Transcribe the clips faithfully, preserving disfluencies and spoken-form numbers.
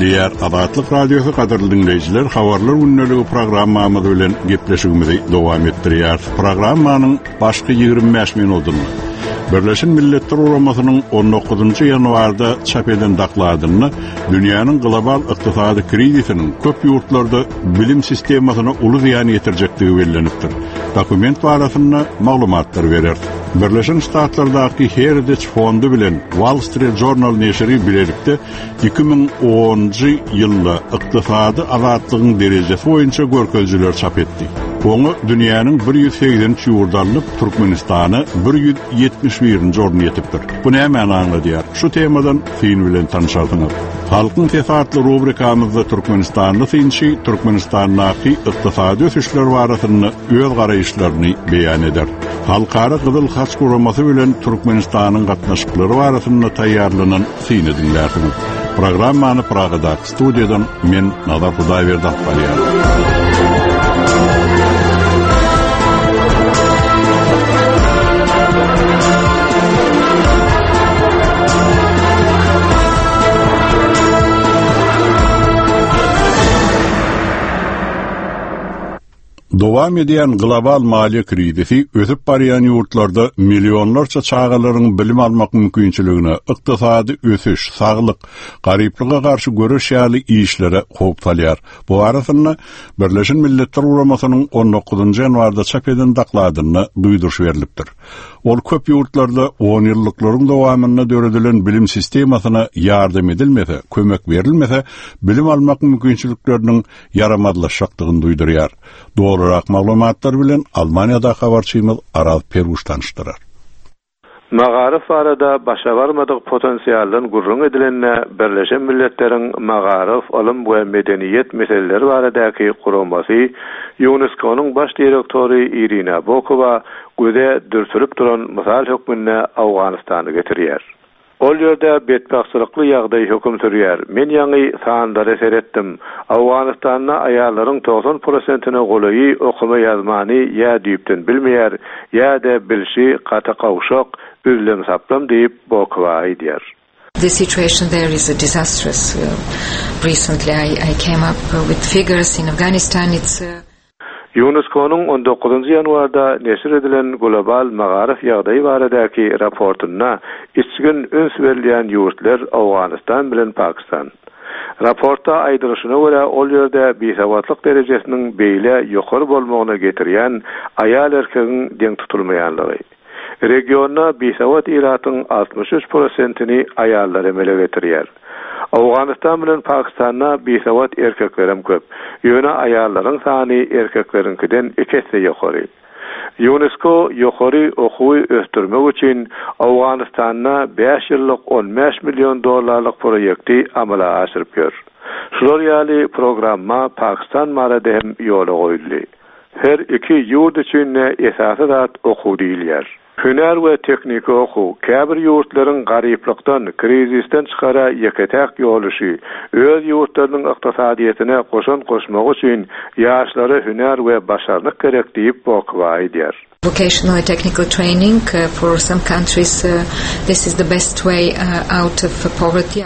Diýýär Azatlyk Radiosy gadyrly diňleýjiler, habarlar gündeligi programmamyz bilen gepleşigimizi dowam etdirýär. Programmanyň başky ýigrimi bäş minutynda Birleşen Milletler Guramasynyň on dokuzynjy ýanwarda çap eden dokladynda dünýäniň global ykdysady krizisiniň köp ýurtlarda bilim sistemasyna uly zyýan ýetirjekdigi bellenipdir. Dokument barasynda maglumatlar berer. Birleşen Ştatlardaky Heritage Fondy bilen Wall Street Journal neşiri bilelikde iki müň onunjy ýylda ykdysady azatlygyň derejesi boýunça görkezijiler çap etdi. Oňa dünýäniň bir ýüz segsen üç ýurdy alnyp, Türkmenistana bir ýüz ýetmiş birinji orun ýetipdir. Bu nämäni aňladýar? Şu temadan syn bilen tanışarsyňyz. Halkyň sesi atly rubrikamyzda Türkmenistanly synçy Türkmenistandaky ykdysady ösüşler barasynda öz garaýyşlaryny beýan eder. Halkara Gyzyl Haç Guramasy bilen Türkmenistanyň gatnaşyklary barasynda taýýarlanan syny diňlärsiňiz. Programmany Pragadaky studiýadan men Nazar Hudaýberdi alyp barýaryn. Dowam edýän global maliýe krizisi ösüp barýan ýurtlarda millionlarça çagalaryň bilim almak mümkinçiligine, ykdysady ösüş, saglyk, garyplyga garşy göreş ýaly işlere howp salýar. Bu arasynda Birleşen Milletler Guramasynyň on dokuzynjy ýanwarda çap eden dokladynda duýduryş berlipdir. Ol köp ýurtlarda on ýyllyklaryň dowamynda döredilen bilim sistemasyna ýardam edilmese, kömek berilmese, bilim almak mümkinçilikleriniň ýaramazlaşjakdygyny duýdurýar. Dogrurak maglumatlar bilen Almaniýada habarçymyz Araz Peruş tanyşdyrar. Magaryf barada başa barmadyk potensialdan gürrüň edilende Birleşen Milletleriň Magaryf, Ylym we Medeniýet meseleleri baradaky guramasy UNESCO-nyň baş direktory Irina Bokowa göze dürtülip duran mysal hökmünde Awganystany getirýär. Ol ýerde betbagtçylykly ýagdaý höküm sürýär. Men ýaňy sanlara seretdim. Awganystanda aýallaryň togsan prosentine golaýy okuma ýazmany ýa düýpden bilmeýär, ýa-da bilşi gaty gawşak, üzlem saplam diýip Bokowa aýdýar. The situation there is a disastrous. Recently I, I came up with figures in Afghanistan. It's, uh, UNESCO-nyň on dokuzynjy ýanwarda neşir edilen global magaryf ýagdaýy baradaky raportynda içgin üns berilýän ýurtlar Awganystan bilen Pakistan. Raportda aýdylyşyna görä ol ýerde bisawatlyk derejesiniň beýle ýokary bolmagyna getirýän aýal erkegiň deň tutulmaýanlygy. Regionda bisawat ilatyň altmyş üç prosentini aýallar emele getirýär. Awganystan bilen Pakistanda bisawat erkeklerem köp. Ýöne aýallaryň sany erkekleriňkiden iki esse ýokary. UNESCO ýokary okuwy ösdürmek üçin Awganystanda bäş ýyllyk on bäş million dollarlyk proýekti amala aşyryp ýör. Şular ýaly programma Pakistan barada hem ýola goýuldy. Her iki ýurt üçin de esasy zat okuw diýilýär. Hünär we tehniki okuw käbir ýurtlaryň garyplykdan, krizisden çykara ýeke-täk ýoluşy, öz ýurtlarynyň ykdysadyýetine goşant goşmak üçin ýaşlara hünär we başarnyk gerek diýip Bokowa aýdýar. Vocational and technical training, uh, for some countries, uh, this is the best way, uh, out of poverty.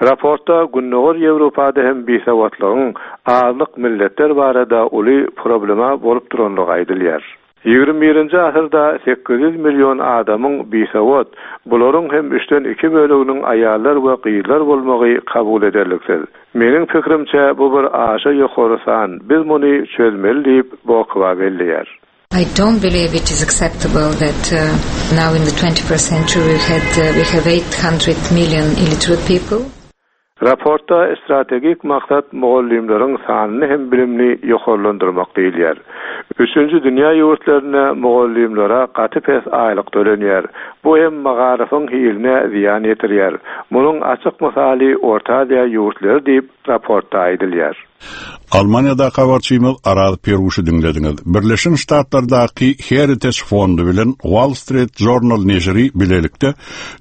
Raportda Gündogar Ýewropada hem bisawatlygyň azlyk milletler barada uly problema bolup duranlygy aýdylýar. Ýigrimi birinji asyrda sekiz ýüz million adamyň bisawat, bularyň hem üçden iki böleginiň aýallar we gyzlar bolmagy kabul ederliksiz. Meniň pikrimçe bu bir aşa ýokary san, biz muny çözmeli diýip Bokowa belleýär. I don't believe it is acceptable that, uh, now in the twenty-first century we had, uh, we have eight hundred million illiterate people. Raportda strategik maksat mugallymlaryň sanyny hem bilimini ýokarlandyrmak diýilýär. Üçünji dünýä ýurtlarynda mugallymlara gaty pes aýlyk tölenýär. Bu hem magaryfyň hiline zyýan ýetirýär. Munuň açyk mysaly Orta Aziýa ýurtlary diýip raportda aýdylýar. Almaniýada habarçymyz Araz Peruşy diňlediňiz. Birleşen Ştatlardaky Heritage Fondy bilen Wall Street Journal neşiri bilelikde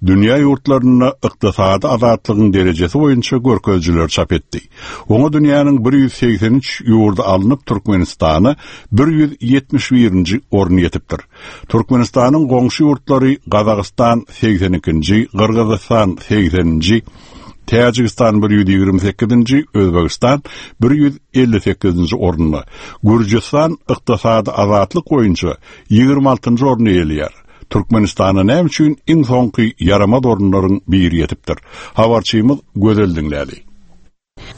dünýä ýurtlarynda ykdysady azatlygyň derejesi boýunça görkezijiler çap etdi. Oňa dünýäniň bir ýüz segsen üç ýurdy alnyp Türkmenistana bir ýüz ýetmiş birinji orun ýetipdir. Türkmenistanyň goňşy ýurtlary Gazagystan segsen ikinji, Gyrgyzystan segseninji, Täjigistan bir ýüz ýigrimi sekizinji, Özbegistan bir ýüz elli sekizinji orunda. Gürjüstan ykdysady azatlyk boýunça ýigrimi altynjy orny eýeleýär. Türkmenistana näme üçin iň soňky ýaramaz orunlaryň biri ýetipdir? Habarçymyz Gözel diňläli.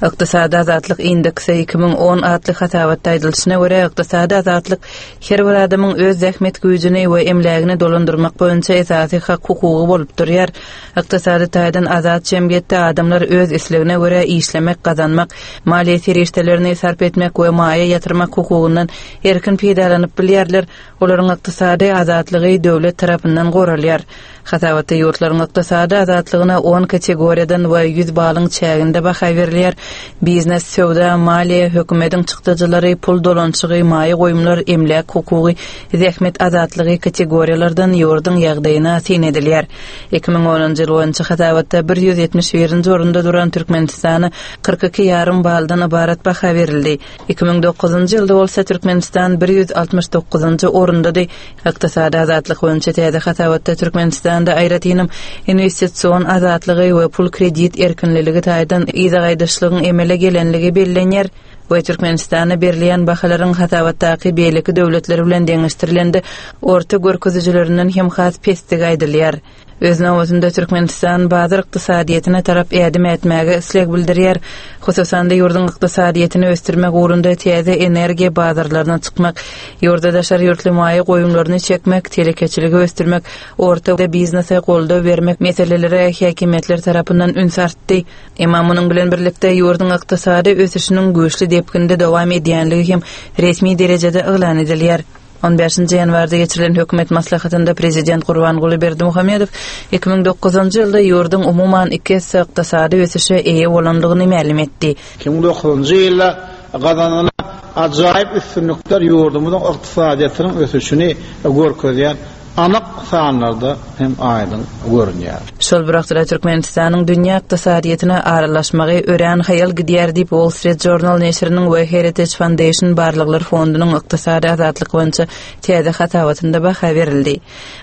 Ykdysady azatlyk indeksi iki müň on atly hasabatda aýdylyşyna görä, ykdysady azatlyk her bir adamyň öz zähmet güýjüni we emlägini dolandyrmak boýunça esasy hak hukugy bolup durýar. Ykdysady taýdan azat jemgyýetde adamlar öz islegine görä işlemek, gazanmak, maliýe serişdelerini sarp etmek we maýa ýatyrmak hukugyndan erkin peýdalanyp bilýärler. Olaryň ykdysady azatlygy döwlet tarapyndan goralýar. Hasabatda ýurtlaryň ykdysady azatlygyna on kategoriýadan we ýüz balyň çäginde baha berilýär. Biznes, söwda, maliýe, hökümetiň çykdajylary, pul dolanşygy, maýa goýumlar, emläk hukugy, zähmet azatlygy kategoriýalardan ýurduň ýagdaýyna syn edilýär. Iki müň onunjy ýyl boýunça hasabatda bir ýüz ýetmiş birinji orunda duran Türkmenistana kyrk iki ýarym baldan ybarat baha berildi. Iki müň dokuzynjy ýylda bolsa Türkmenistan bir ýüz altmyş dokuzynjy orundady. Ykdysady azatlyk boýunça täze hasabatda Türkmenistanda aýratynam investision azatlygy we pul kredit erkinliligi taýdan yza gaýdyşlygyň emele gelenligi bellenýär we Türkmenistana berilýän bahalaryň hasabatdaky beýleki döwletler bilen deňeşdirilende orta görkezijilerinden hem has pesdigi aýdylýar. Öz nobatynda Türkmenistan bazar ykdysadyýetine tarap ädim ätmäge isleg bildirýär. Hususan-da ýurduň ykdysadyýetini ösdürmek ugrunda täze energiýa bazarlaryna çykmak, ýurda daşary ýurtly maýa goýumlaryny çekmek, telekeçiligi ösdürmek, orta biznese goldaw bermek meselelere häkimiýetler tarapyndan üns artdy. Emma munuň bilen birlikde ýurduň ykdysady ösüşiniň güýçli depginde dowam edýänligi hem resmi derejede yglan edilýär. On beşinji ýanwarda geçirilen hökümet maslahatynda Prezident Gurbanguly Berdimuhamedow iki müň dokuzynjy ýylda ýurduň umuman iki esse ykdysady ösüşe eýe bolandygyny mälim etdi. Iki müň dokuzynjy ýylda gazanylan ajaýyp üstünlikler ýurdumyzyň ykdysadyýetiniň ösüşini görkezýän anyk sanlarda hem aýdyň görünýär. Şol bir wagtda Türkmenistanyň dünýä ykdysadyýetine aralaşmagy örän haýal gidýär diýip Wall Street Journal neşiriniň we Heritage Foundation barlaglar fondunyň ykdysady azatlyk boýunça täze hasabatynda baha berildi.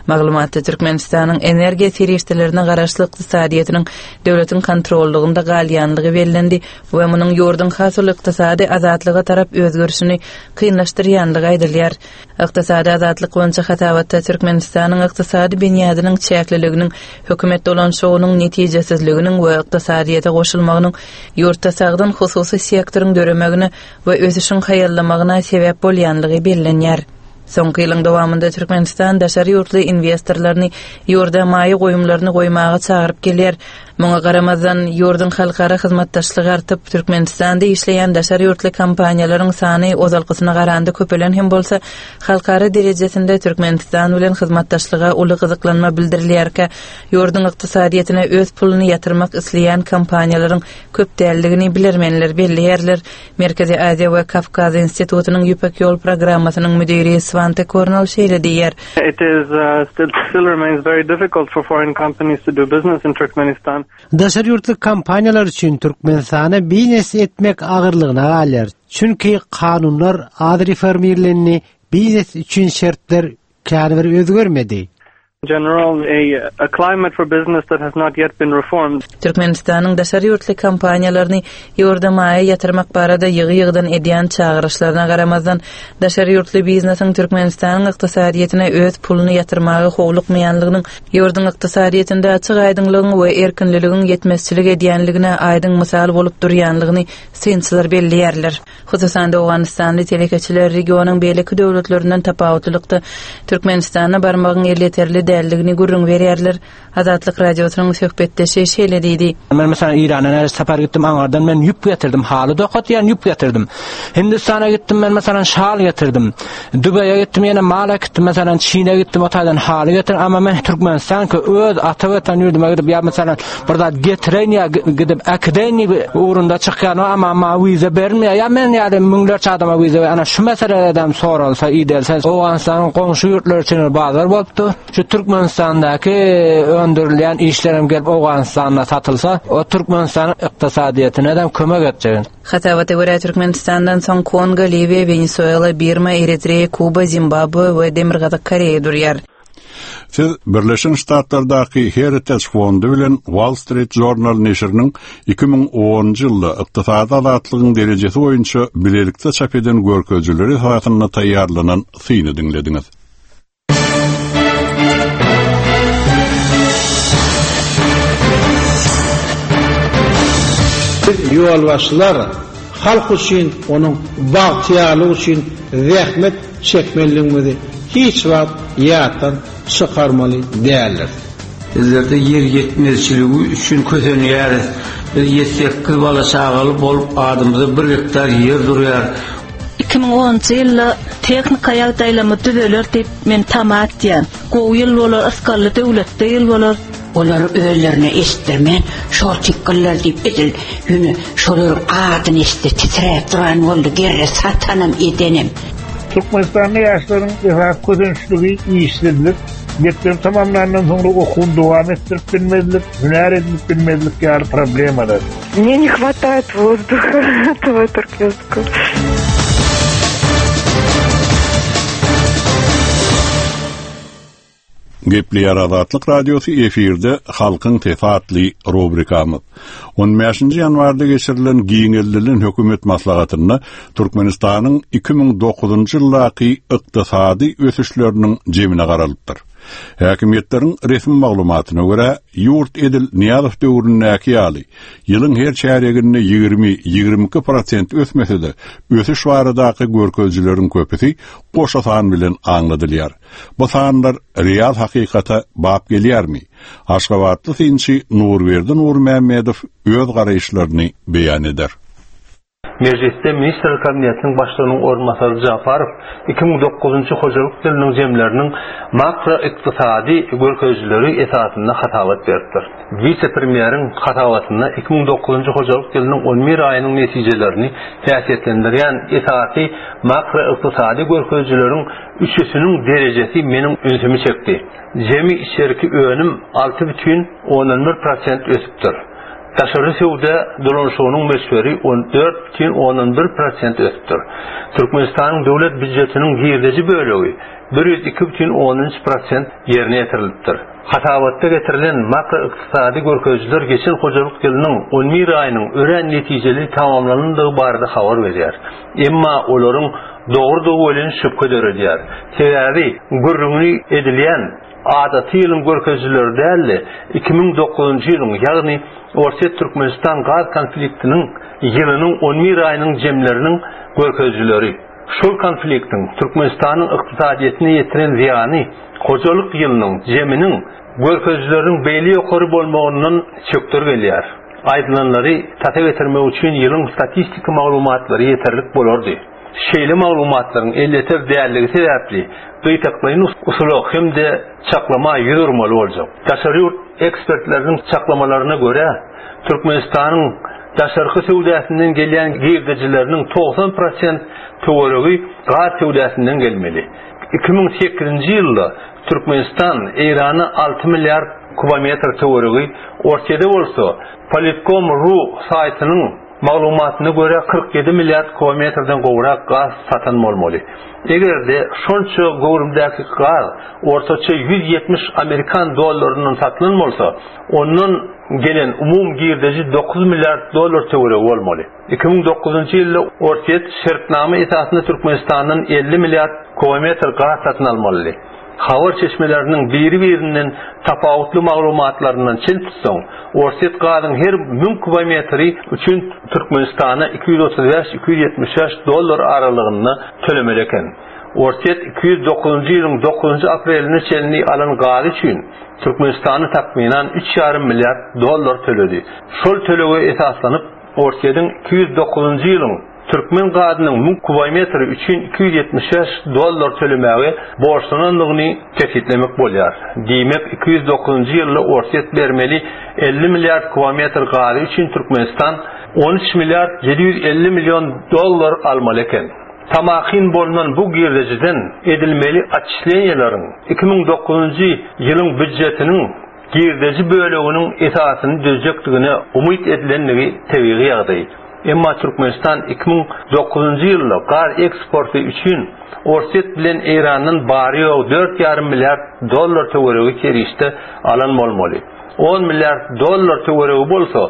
Maglumatda Türkmenistanyň energiýa serişdelerine garaşly ykdysadyýetiniň döwletiň kontrollygynda galýanlygy bellendi we munuň ýurduň has uly ykdysady azatlyga tarap özgerişini kynlaşdyrýanlygy aýdylýar. Ykdysady azatlyk boýunça hasabatda Türkmenistanyň ykdysady binýadynyň çäkliliginiň, hökümet dolanşygynyň netijesizliginiň we ykdysadyýete goşulmagynyň ýurtda sagdyn hususy sektoryň döremegine we ösüşiň haýallamagyna sebäp bolýanlygy bellenýär. Soňky ýylyň dowamynda Türkmenistan daşary ýurtly investorlaryny ýurda maýa goýumlaryny goýmaga çagyryp gelýär. Muňa garamazdan ýurduň halkara hyzmatdaşlygy artyp, Türkmenistanda işleýän daşary ýurtly kompaniýalaryň sany ozalkysyna garanda köpelen hem bolsa, halkara derejesinde Türkmenistan bilen hyzmatdaşlyga uly gyzyklanma bildirilýärkä, ýurduň ykdysadyýetine öz puluny ýatyrmak isleýän kompaniýalaryň köp däldigini bilermenler belleýärler. Merkezi Aziýa we Kawkaz institutynyň Ýüpek ýol programmasynyň müdiri Svante Kornel şeýle diýýär. It is, uh, still, still remains very difficult for foreign companies to do business in Turkmenistan. Daşary ýurtly kompaniýalar üçin Türkmenistana biznes etmek agyrlygyna galýar. Çünki kanunlar az reformirlendi, biznes üçin şertler känbir özgermedi. General, a, a climate for business that has not yet been reformed. Türkmenistanyň daşary ýurtly kompaniýalaryny ýurda maýa ýatyrmak barada ýygy-ýygydan edýän çagyryşlaryna garamazdan, daşary ýurtly biznesiň Türkmenistanyň ykdysadyýetine öz puluny ýatyrmaga howlukmaýanlygynyň, ýurduň ykdysadyýetinde açyk aýdyňlygyň we erkinliligiň ýetmezçilik edýänligine aýdyň mysal bolup durýanlygyny synçylar belleýärler. Hususan-da Owganystanly telekeçiler regionyň beýleki döwletlerinden tapawutlylykda Türkmenistana barmagyň elýeterli däldigini gürrüň berýärler. Azatlyk radiosynyň söhbetdeşi şeýle diýdi. Men mesela İran'a näre sapar gitdim, Angardan men ýüp getirdim, haly dokatýan ýüp getirdim. Hindistana gitdim, men mesela şal getirdim. Dubaýa gitdim, ýene mala gitdim, mesela Çin'e gitdim, o taýdan haly getirdim. Ama men Türkmenistan ki öz ata watan ýurduma gidip, ýa mesela bir zat getireýin ýa gidip äkideýin diýip ugrunda çykýan, ama ma wiza bermeýär. Ýa men ýa müňlerçe adama wiza ber. Ana şu meselelerden soralsa, idelse, Owganystanyň goňşy ýurtlary üçin bazar bolupdy. Şu Türkmenistandaky öndürilýän işlerim gelip Owganystanda satylsa, o Türkmenistanyň ykdysadyýetine hem kömek etjek. Hasabata görä Türkmenistandan soň Kongo, Liwiýa, Wenesuela, Birma, Eritreýa, Kuba, Zimbabwe we Demirgazyk Koreýa durýar. Siz Birleşen Ştatlardaky Heritage Fondy bilen Wall Street Journal neşiriniň iki müň onunjy ýylda ykdysady azatlygyň derejesi boýunça bilelikde çap eden görkezijileri esasynda taýýarlanan syny diňlediňiz. Biz ýolbaşçylar halk üçin, onuň bagtyýarlygy üçin zähmet çekmelidigimizi hiç wagt ýatdan çykarmaly däldir. Bizlerde ýer ýetmezçiligi üçin kösenýäris. Biz ýedi-sekiz bala çagaly bolup adymyza bir gektar ýer durýar. Iki müň onunjy ýylda tehnika ýagdaýlamy düzeler diýip men tama etýän. Gowy ýyl bolar, ysgally döwletde ýyl bolar. Olar özlerine eşitdirmän, şol tikgiller diýip edil, ýöne şolaryň adyny eşitdi, titräp duran boldy, gerre satanam edenem. Türkmenistanly ýaşlaryň esasy kösençligi işsizlik, mekdep tamamlandan soňra okuwyny dowam etdirip bilmezlik, hünär edinip bilmezlik ýaly problemalar. Мне не хватает воздуха этого туркменского. Gepleýär Azatlyk Radiosy efirde Halkyň sesi atly rubrikamyz. On bäşinji ýanwarda geçirilen giňeldilen hökümet maslahatynda Türkmenistanyň iki müň dokuzynjy ýyldaky ykdysady ösüşleriniň jemine garalypdyr. Häkimiýetleriň resmi maglumatyna görä, ýurt edil Nyýazow döwründäki ýaly, ýylyň her çärýeginde ýigrimi, ýigrimi iki prosent ösmese-de, ösüş baradaky görkezijileriň köpüsi goşa san bilen aňladylýar. Bu sanlar real hakykata bap gelýärmi? Aşgabatly synçy Nurberdi Nurmämmedow öz garaýyşlaryny beýan eder. Mejlisde Ministrler Kabinetiniň başlygynyň orunbasary Jafarow iki müň dokuzynjy hojalyk ýylynyň jemleriniň makroykdysady görkezijileri esasynda hasabat beripdir. Wise-premýeriň hasabatynda iki müň dokuzynjy hojalyk ýylynyň on bir aýynyň netijelerini häsiýetlendirýän esasy makroykdysady görkezijileriň üçüsiniň derejesi meniň ünsümi çekdi. Jemi içerki önüm alty bütin ondan bir prosent ösüpdir. Daşary söwda dolanyşygynyň möçberi on dört bütin ondan bir prosent ösüpdir. Türkmenistanyň döwlet býujetiniň girdeji bölegi bir ýüz iki bütin ondan üç prosent ýerine ýetirilipdir. Hasabatda getirilen makroykdysady görkezijiler geçen hojalyk ýylynyň on bir aýynyň örän netijeli tamamlanandygy barada habar berýär. Emma olaryň dogrudygy welin şübhe döredýär. Sebäbi gürrüňi edilýän adaty ýylyň görkezijileri däldi. iki müň dokuzynjy ýylyň, ýagny Orsýet Türkmenistan gaz konfliktiniň ýylynyň on bir aýynyň jemleriniň görkezijileri. Şol konfliktiň Türkmenistanyň ykdysadyýetine ýetiren zyýany hojalyk ýylynyň jeminiň görkezijileriniň beýle ýokary bolmagyndan çökder gelýär. Aýdylanlary tasa getirmek üçin ýylyň statistik maglumatlary ýeterlik bolardy. Şeýle maglumatlaryň elýeter dälligi sebäpli gytaklaýyn usula hem-de çaklama ýüz urmaly boljak. Daşary ýurt ekspertleriniň çaklamalaryna görä, Türkmenistanyň daşarky söwdasyndan gelýän girdejileriniň togsan prosent töweregi gaz söwdasyndan gelmeli. iki müň sekizinji ýylda Türkmenistan Eýrana alty milliard kubometr töweregi, Orsýede bolsa Politkom ru saýtynyň maglumatyna görä kyrk ýedi milliard kubometrden gowrak gaz satan bolmaly. Eger-de şonça göwrümdäki gaz ortaça ýüz ýetmiş amerikan dollaryndan satylan bolsa, ondan gelen umum girdeji dokuz milliard dollar töweregi bolmaly. iki müň dokuzynjy ýylda Orsýet şertnama esasynda Türkmenistandan elli milliard kubometr gaz satyn almalydy. Habar çeşmeleriniň biri-birinden tapawutly maglumatlaryndan çen tutsaň, Orsýet gazyň her müň kubometri üçin Türkmenistana iki ýüz otuz bäş, iki ýüz ýetmiş bäş dollar aralygynda tölemeli eken. Orsýet iki ýüz dokuzynjy ýylyň dokuzynjy apreline çenli alan gazy üçin Türkmenistana takmynan üç ýarym milliard dollar töledi. Şol tölege esaslanyp Orsýetiň iki ýüz dokuzynjy ýylyň Türkmen gazynyň müň kubometri üçin iki ýüz ýetmiş bäş dollar tölemäge borçlanandygyny kesgitlemek bolýar. Diýmek, iki ýüz dokuzynjy ýylda Orsýet bermeli elli milliard kubometr gazy üçin Türkmenistan on üç milliard ýedi ýüz elli million dollar almaly eken. Tamakin bolunan bu girdejiden edilmeli atçislenýeleriň iki müň dokuzynjy ýylyň býujetiniň girdeji böleginiň esasyny düzjekdigine umyt edilenligi tebigy ýagdaý. Emma Türkmenistan iki müň dokuzynjy ýylda gaz eksporty üçin Orsýet bilen Eýrandan bary-ýogy dört ýarym milliard dollar töweregi serişde alan bolmaly. On milliard dollar töweregi bolsa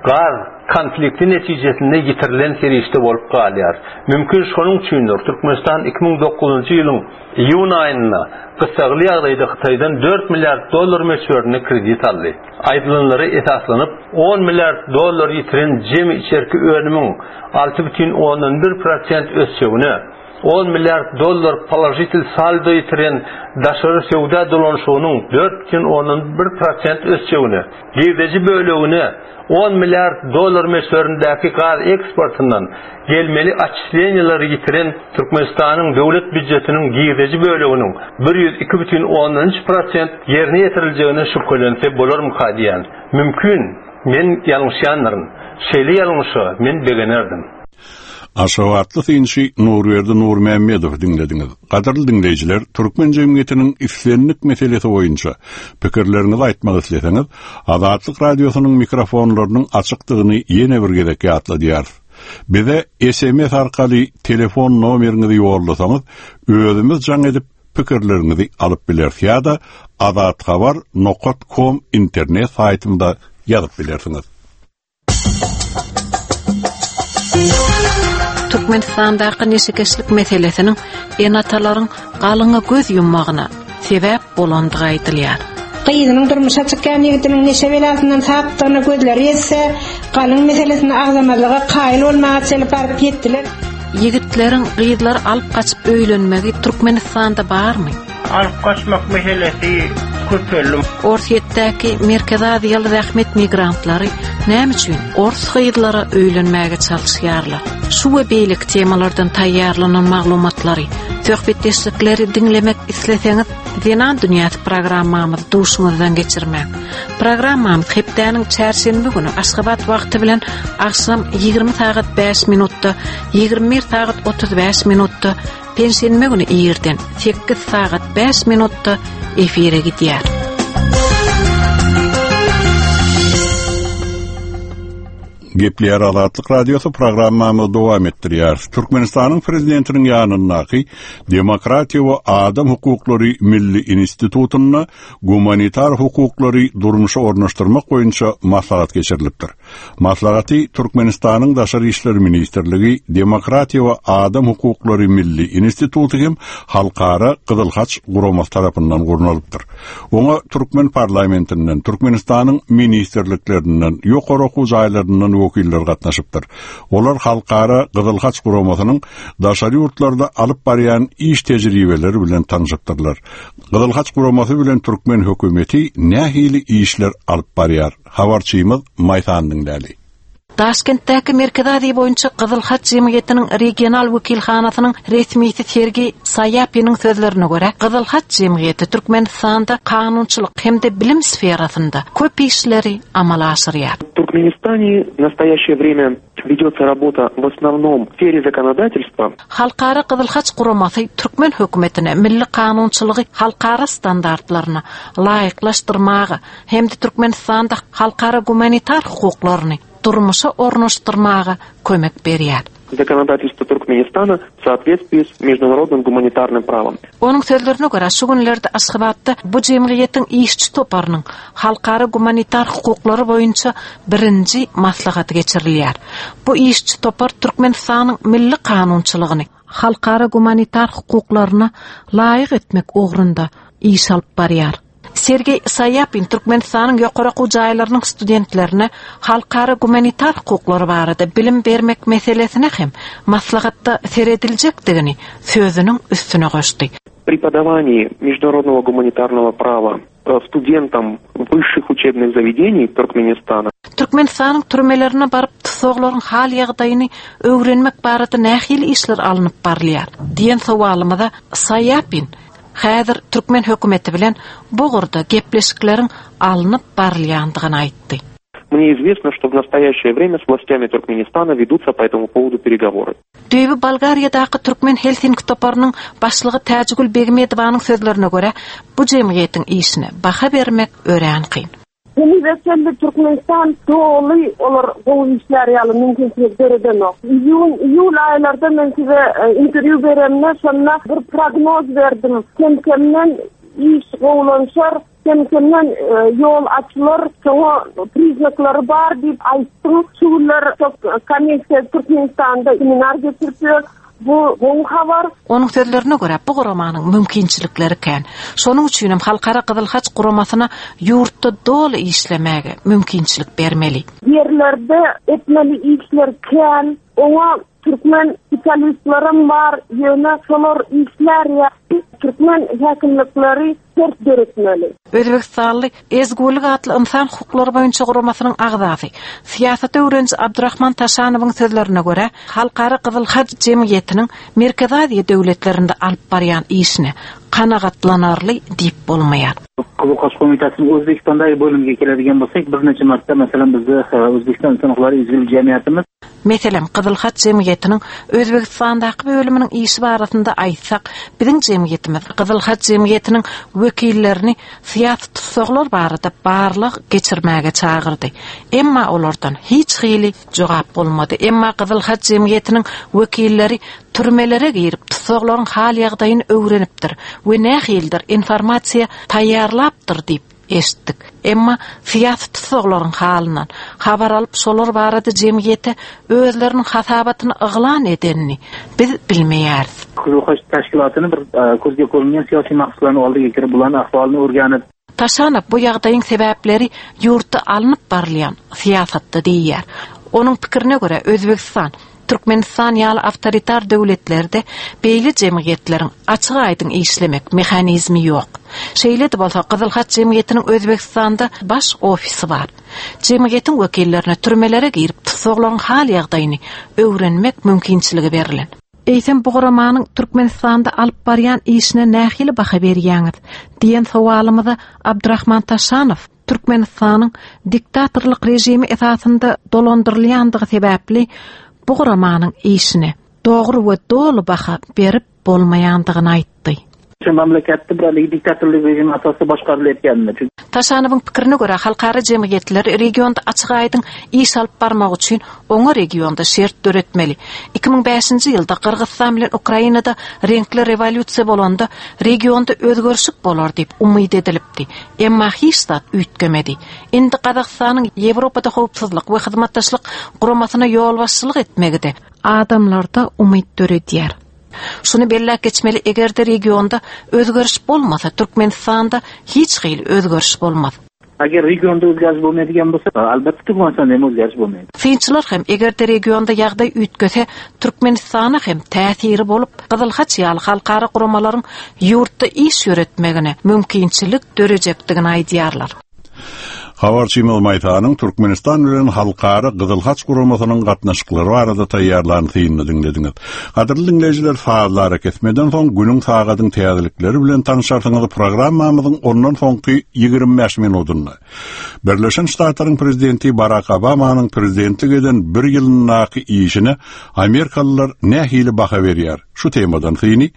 gaz konflikti netijesinde ýitirilen serişde bolup galýar. Mümkin şonuň üçindir, Türkmenistan iki müň dokuzynjy ýylyň iýun aýynda gyssagly ýagdaýda Hytaýdan dört milliard dollar möçberinde kredit aldy. Aýdylanlara esaslanyp, on milliard dollar ýitiren jemi içerki önümiň alty bütin ondan bir prosent ösjegine, on milliard dollar položitel saldo ýitiren daşary söwda dolanyşygynyň dört bütin ondan bir prosent ösjegine, girdeji bölegine on milliard dollar möçberindäki gaz eksportyndan gelmeli otçisleniýaleri ýitiren Türkmenistanyň döwlet býujetiniň girdeji böleginiň bir ýüz iki bütin ondan üç prosent ýerine ýetiriljegine şübhelense bolarmyka diýen. Mümkin, men ýalňyşýandyryn. Şeýle ýalňyşa men begenerdim. Aşgabatly synçy Nurberdi Nurmämmedowy diňlediňiz. Gadyrly diňleýjiler, türkmen jemgyýetiniň islendik meselesi boýunça pikirleriňizi aýtmak isleseňiz, Azatlyk radiosynyň mikrofonlarynyň açykdygyny ýene bir gezek ýatladýarys. Bize S M S arkaly telefon nomeriňizi ýollasaňyz, özümiz jaň edip pikirleriňizi alyp bileris ýa-da azathabar nokta com internet saýtynda ýazyp bilersiňiz. Türkmenistandaky neşekeşlik meselesiniň ene-atalaryň galyňa göz ýummagyna sebäp bolandygy aýdylýar. Gyzynyň durmuşa çykýan ýigidiniň neşe belasyndan sapdygyna gözleri ýetse, galyň meselesini agzamazlyga kaýyl bolmaga çenli baryp ýetdiler. Ýigitleriň gyzlar alyp gaçyp öýlenmegi Türkmenistanda barmy? Alyp gaçmak meselesi köpeldi. Orsýetdäki Merkezi Aziýaly zähmet migrantlary näme üçin ors gyzlara öýlenmäge çalyşýarlar? Şu we beýleki temalardan taýýarlanan maglumatlary, söhbetdeşlikleri diňlemek isleseňiz, Zenan Dünýäsi programmamyzy duşuňyzdan geçirmäň. Programmamyz hepdäniň çarşenbe günü Aşgabat wagty bilen akşam ýigrimi sagat bäş minutda, ýigrimi bir sagat otuz bäş minutda, penşenbe günü irden sekiz sagat bäş minutda efire gidýär. Gepleýär Azatlyk Radiosy programmamyzy dowam etdirýär. Türkmenistanyň prezidentiniň ýanyndaky Demokratiýa we Adam Hukuklary Milli Institutynda gumanitar hukuklary durmuşa ornaşdyrmak boýunça maslahat geçirilipdir. Maslahaty Türkmenistanyň Daşary İşler Ministrligi, Demokratiýa we Adam Hukuklary Milli Instituty hem Halkara Gyzyl Haç guramasy tarapyndan gurnalypdyr. Oňa Türkmen parlamentinden, Türkmenistanyň ministrliklerinden, ýokary okuw jaýlaryndan wekiller gatnaşypdyr. Olar Halkara Gyzyl Haç guramasynyň daşary ýurtlarda alyp barýan iş tejribeleri bilen tanışypdyrlar. Gyzyl Haç guramasy bilen türkmen hökümeti nähili işler alyp barýar? Habarçymyz Maýsan diňläli. Daşkentdäki Merkezi Aziýa boýunça Gyzyl Haç jemgyýetiniň regional wekilhanasynyň resmisi Sergey Saýapiniň sözlerine görä, Gyzyl Haç jemgyýeti Türkmenistanda kanunçylyk hem-de bilim sferasynda köp işleri amala aşyrýar. В Туркменистане в настоящее время ведется работа в основном в сфере законодательства. Halkara Gyzyl Haç guramasy türkmen hökümetine milli kanunçylygy halkara standartlaryna laýyklaşdyrmaga hem-de Türkmenistanda halkara gumanitar hukuklaryny durmuşa ornaşdyrmaga kömek berýär. Законодательство Туркменистана в соответствии с международным гуманитарным правом. Onuň sözlerine görä, şu günlerde Aşgabatda bu jemgyýetiň işçi toparynyň halkara gumanitar hukuklary boýunça birinji maslahaty geçirilýär. Bu işçi topar Türkmenistanyň milli kanunçylygyny halkara gumanitar hukuklaryna laýyk etmek ugrunda iş alyp barýar. Sergey Saýapin Türkmenistanyň ýokary okuw jaýlarynyň studentlerine halkara gumanitar hukuklary barada bilim bermek meselesine hem maslahatda serediljekdigini sözüniň üstüne goşdy. Преподавание международного гуманитарного права студентам высших учебных заведений Туркменистана. Türkmenistanyň türmelerine baryp tutsaglaryň hal ýagdaýyny öwrenmek barada nähili işler alnyp barylýar diýen sowalymyza Saýapin häzir türkmen hökümeti bilen bu ugurda gepleşikleriň alnyp barylýandygyny aýtdy. Мне известно, что в настоящее время с властями Туркменистана ведутся по этому поводу переговоры. Düýbi Bolgariýadaky Türkmen Helsinki toparynyň başlygy Täjigül Begmedowanyň sözlerine görä, bu jemgyýetiň işine baha bermek örän kyn. Henize çenli Türkmenistan doly olar gowy işler ýaly mümkinçilik döredenok. Iýun, iýul aýlarda men size interwýu beremde şonda bir prognoz berdim. Kem-kemden iş gowulanşar, kem-kemden ýol açylar, şoňa priznaklary bar diýip aýtdym. Şu günler komissiýa Türkmenistanda seminar geçirip Bu gowy habar. Onuň sözlerine görä, bu guramanyň mümkinçilikleri kän. Şonuň üçin hem Halkara Gyzyl Haç guramasyna ýurtda doly işlemäge mümkinçilik bermeli. Ýerlerde etmeli işler kän. Oňa türkmen spesialistlerim bar, ýöne şolar işler ýa türkmen häkimlikleri şert döretmeli. Özbekistanly Ezgulik atly insan hukuklary boýunça guramasynyň agzasy, syýasat öwreniji Abdurrahman Taşanowyň sözlerine görä, Halkara Gyzyl Haç jemgyýetiniň Merkezi Aziýa döwletlerinde alyp barýan işine kanagatlanarly diýip bolmaýar. Qizil Xoch qo'mitasining O'zbekistondagi bo'limiga keladigan bo'lsak, bir necha marta masalan bizni O'zbekiston inson huquqlari ezgulik jamiyatimiz Meselem, Gyzyl Haç jemgyýetiniň Özbekistandaky bölüminiň işi barasynda aýtsak, biziň jemgyýetimiz Gyzyl Haç jemgyýetiniň wekillerini syýasy tussaglar barada barlyk geçirmäge çagyrdy. Emma olardan hiç hili jogap bolmady. Emma Gyzyl Haç jemgyýetiniň wekilleri türmelere girip tussaglaryň hal ýagdaýyny öwrenipdir we nähilidir informasiýa taýýarlapdyr diýip eşitdik. Emma syýasy tussaglaryň halyndan habar alyp şolar barada jemgyýete özleriniň hasabatyny yglan edenini biz bilmeýäris. Qizil Xoch tashkilotini bir ko'zga ko'ringan siyosiy maqsadlarni oldiga kirib, bularning ahvolini o'rganib Taşanow bu ýagdaýyň sebäpleri ýurtda alnyp barylýan syýasatda diýýär. Onuň pikirine görä Özbegistan Türkmenistan ýaly awtoritar döwletlerde beýle jemgyýetleriň açyk aýdyň işlemek mehanizmi ýok. Şeýle-de bolsa Gyzyl Haç jemgyýetiniň Özbekistanda baş ofisi bar. Jemgyýetiň wekillerine türmelere girip tussaglaryň hal ýagdaýyny öwrenmek mümkinçiligi berlen. Eýsem bu guramanyň Türkmenistanda alyp barýan işine nähili baha berýäňiz diýen sowalymyza Abdurrahman Taşanow Türkmenistanyň diktatorlyk režimi esasynda dolandyrylýandygy sebäpli bu guramanyň işine dogry we doly baha berip bolmaýandygyny aýtdy. Şu mamlakatda bir haligi diktatorlik rejimi asosida boshqarilayotganini. Taşanowyň pikirine görä halkara jemgyýetleri regionda açyk aýdyň iş alyp barmak üçin oňa regionda şert döretmeli. iki müň bäşinji ýylda Gyrgyzystan bilen Ukrainada reňkli rewolýusiýa bolanda regionda özgerişik bolar diýip umyt edilipdi. Emma hiç zat üýtgemedi. Indi Gazagystanyň Ýewropada howpsuzlyk we hyzmatdaşlyk guramasyna ýolbaşçylyk etmegi-de adamlarda umyt döredýär. Şuny belläp geçmeli, eger-de regionda özgeriş bolmasa, Türkmenistanda hiç hili özgeriş bolmaz. Agar regionda o'zgarish bo'lmaydigan bo'lsa, albatta Turkmanistonda ham o'zgarish bo'lmaydi. Synçylar hem eger-de regionda ýagdaý üýtgese, Türkmenistana hem täsiri bolup, Gyzyl Haç ýaly halkara guramalaryň ýurtda iş ýöretmegine mümkinçilik dörejekdigini aýdýarlar. Habarçymyz Maýsanyň Türkmenistan bilen halkara Gyzyl Haç guramasynyň gatnaşyklary barada taýýarlan synyny diňlediňiz. Gadyrly diňleýjiler, sazlary kesmeden soň günüň sagadyň täzelikleri bilen tanışarsyňyz programmamyzyň ondan soňky ýigrimi bäş minutynda. Birleşen Ştatlaryň prezidenti Barack Obamanyň prezidentlik eden bir ýylyndaky işine Amerikalylar nähili baha berýär? Şu temadan syny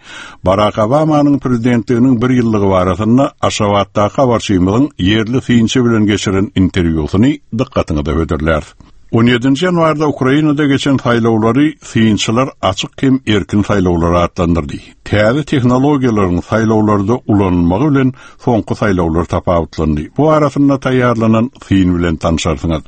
Barack Obamanyň prezidentliginiň bir ýyllygy barasynda Aşgabatdaky habarçymyzyň ýerli synçy bilen geçiren interwýusyny dykgatyňyza hödürlär. on ýedinji ýanwarda Ukrainada geçen saýlawlary synçylar açyk hem erkin saýlawlar atlandyrdy. Täze tehnologiýalaryň saýlawlarda ulanylmagy bilen soňky saýlawlar tapawutlandy. Bu arasynda taýýarlanan syn bilen tanışarsyňyz.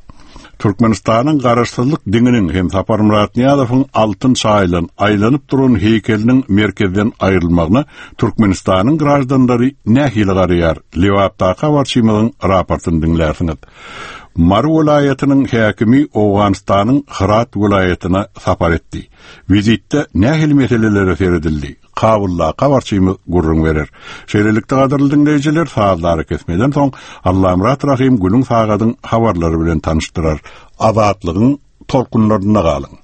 Türkmenistanyň garaşsyzlyk diňiniň hem Saparmyrat Nyýazowyň altyn çaýlan aýlanyp duran heýkeliniň merkezden aýrylmagyna Türkmenistanyň graždanlary nähili garaýar? Lebapdaky habarçymyzyň raportyny diňlärsiňiz. Mary welaýatynyň häkimi Owganystanyň Hyrat welaýatyna sapar etdi. Wizitde nähili meselelere seredildi? Kabulda habarçymyz gürrüň berer. Şeýlelikde gadyrly diňleýjiler, sazlary kesmeden soň Allamyrat Rahim günüň sagadyň habarlary bilen tanyşdyrar. Azatlygyň tolkunlarynda galyň.